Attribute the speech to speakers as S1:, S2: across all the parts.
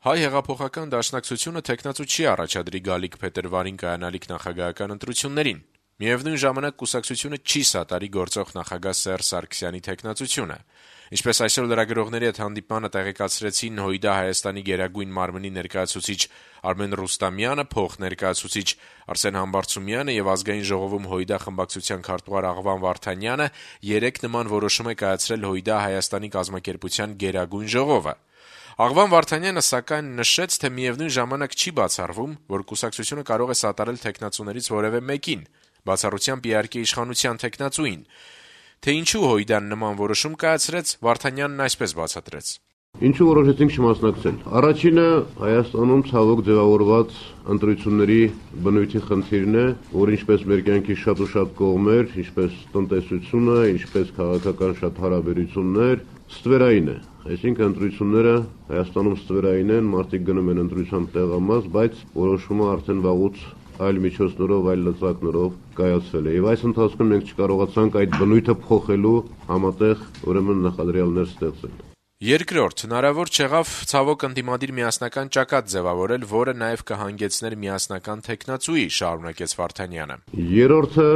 S1: Հայ հեղափոխական դաշնակցությունը թեկնածու չի առաջադրի գալիք փետրվարին կայանալիք նախագահական ընտրություններին: Միևնույն ժամանակ կուսակցությունը չի սատարի գործող նախագահ Սերժ Սարգսյանի թեկնածությունը: Ինչպես այսօր լրագրողների հետ հանդիպմանը տեղեկացրեցին ՀՅԴ Հայաստանի Գերագույն մարմնի ներկայացուցիչ Արմեն Ռուստամյանը, փոխներկայացուցիչ Արսեն Համբարձումյանը եւ Ազգային ժողովում ՀՅԴ խմբակցության քարտուղար Աղվան Վարդանյանը երեկ նման որոշում է կայացրել ՀՅԴ Հայաստանի կազմակերպության Գերագույն ժողովը: Աղվան Վարդանյանը սակայն նշեց, թե միևնույն ժամանակ չի բացառվում, որ կուսակցությունը կարող է սատարել թեկնածուներից որեւէ մեկին, բացառությամբ իհարկե իշխանության թեկնածուին: Թե ինչու ՀՅԴ-ն նման որոշում կայացրեց, Վարդանյանն այսպես բացատրեց.
S2: Ինչու որոշեցինք չմասնակցել: Առաջինը Հայաստանում ցավոք ձևավորված ընտրությունների բնույթի խնդիրն է, որ ինչպես մեր կյանքի շատ ու շատ կողմեր, ինչպես տնտեսությունը, ինչպես քաղաքական շատ հարաբերություններ, ստվերային է: Այսինքն ընտրությունները Հայաստանում ստվերային են, մարդիկ գնում են ընտրության տեղամաս, բայց որոշումը արդեն վաղուց այլ միջոցներով, այլ լծակներով կայացվել է: Եվ այս ընթացքում մենք չկարողացանք այդ բնույթը փոխելու համատեղ նախադրյալներ ստեղծել:
S1: Երկրորդ, հնարավոր չեղավ ցավոք ընդդիմադիր միասնական ճակատ ձեւավորել, որը նաեւ կհանգեցներ միասնական թեկնածուի, շարունակեց Վարդանյանը:
S2: Երրորդը,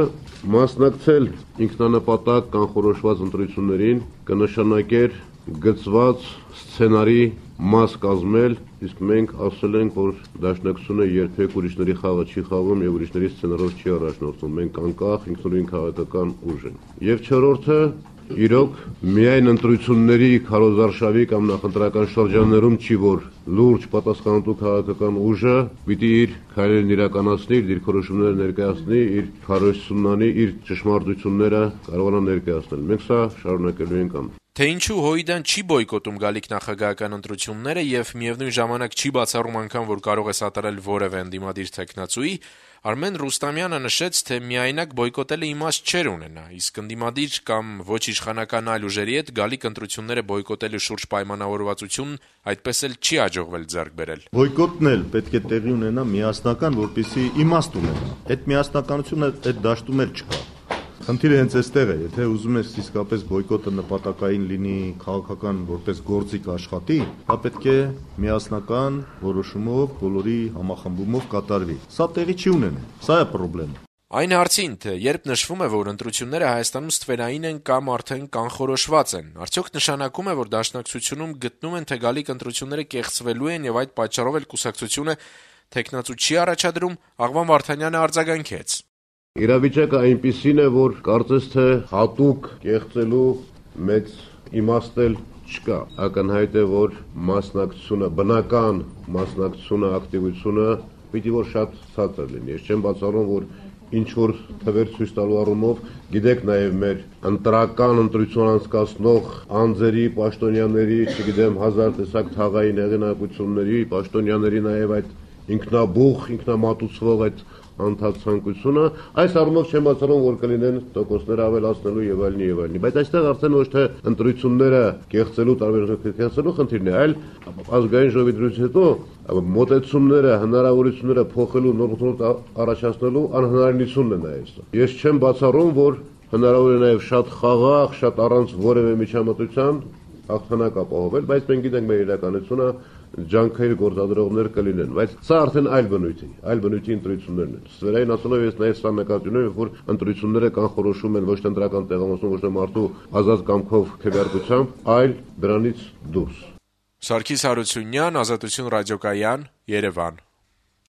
S2: մասնակցել ինքնանպատակ կանխորոշված ընտրություններին կնշանակեր գծված սցենարի մաս կազմել, իսկ մենք ասել ենք, որ Դաշնակցությունը երբեք ուրիշների խաղը չի խաղում եւ ուրիշների սցենարով չի առաջնորդվում: Մենք անկախ ինքնուրույն քաղաքական ուժ ենք: Եվ չորրորդը, իրոք միայն ընտրությունների քարոզարշավի կամ նախընտրական շրջաններում չի, որ լուրջ պատասխանատու քաղաքական ուժը պիտի իր քայլերն իրականացնի, իր դիրքորոշումները ներկայացնի, իր քարոզությունն անի, իր ճշմարտությունները կարողանա ներկայացնել: Մենք սա շարունակելու ենք անել:
S1: Թե ինչու ՀՅԴ-ն չի բոյկոտում գալիք նախագահական ընտրությունները եւ միեւնույն ժամանակ չի բացառում անգամ, որ կարող է սատարել որեւէ ընդդիմադիր թեկնածուի, Արմեն Ռուստամյանը նշեց, թե միայնակ բոյկոտելը իմաստ չէր ունենա, իսկ ընդդիմադիր կամ ոչ իշխանական այլ ուժերի հետ գալիք ընտրությունները բոյկոտելու շուրջ պայմանավորվածությունն այդպես էլ չի հաջողվել ձեռք բերել:
S3: Բոյկոտն էլ պետք է տեղի ունենա միասնական, որպեսզի իմաստ ունենա: Այդ միասնականությունը այդ դաշտում էլ չկա: Խնդիրը հենց այստեղ է: Եթե ուզում ես իսկապես բոյկոտը նպատակային լինի, քաղաքական որպես գործիք աշխատի, դա պետք է միասնական որոշումով, բոլորի համախմբումով կատարվի: Սա տեղի չի ունենում: Սա է խնդիրը:
S1: Այն հարցին, թե երբ նշվում է, որ ընտրությունները Հայաստանում ստվերային են կամ արդեն կանխորոշված են, արդյոք նշանակում է, որ Դաշնակցությունում գտնում են, թե գալիք ընտրությունները կեղծվելու են եւ այդ պատճառով էլ կուսակցությունը թեկնածու չի առաջադրում, Աղվան Վարդանյանը արձագանքեց.
S2: Իրավիճակը այնպիսին է, որ կարծես թե հատուկ կեղծելու մեծ իմաստ էլ չկա: Ակնհայտ է, որ մասնակցությունը, բնական մասնակցությունը, ակտիվությունը պիտի որ շատ ցածր լինի: Ես չեմ բացառում, որ ինչ-որ թվեր ցույց տալու առումով, գիտեք նաեւ մեր ընտրական ընտրություն անցկացնող անձերի, պաշտոնյաների, չգիտեմ, հազար տեսակ թաղային հեղինակությունների, պաշտոնյաների նաեւ այդ ինքնաբուխ, ինքնամատուցվող այդ անընդհատ ցանկությունը, այս առումով չեմ բացառում, որ կլինեն տոկոսներ ավելացնելու եւ այլն, բայց այստեղ արդեն ոչ թե ընտրությունները կեղծելու, կեղծելու խնդիրն է, այլ ազգային ժողովի դրույթից հետո մոտեցումները, հնարավորությունները փոխելու, նոր առաջացնելու անհնարինությունն է նաեւ սա: Ես չեմ բացառում, որ հնարավոր է նաեւ շատ խաղաղ, շատ առանց որեւէ միջամտության հաղթանակ ապահովել, բայց մենք գիտենք մեր իրականությունը, ջանքեր գործադրողներ կլինեն, բայց սա արդեն այլ բնույթի ընտրություններն են: Ստվերային ասելով ես նաեւ սա նկատի ունեմ, որ ընտրությունները կանխորոշում են ոչ թե ընտրական տեղամասում, ոչ թե մարդու ազատ կամքով, քվեարկությամբ, այլ դրանից դուրս:
S1: Սարգիս Հարությունյան, Ազատություն ռադիոկայան, Երևան: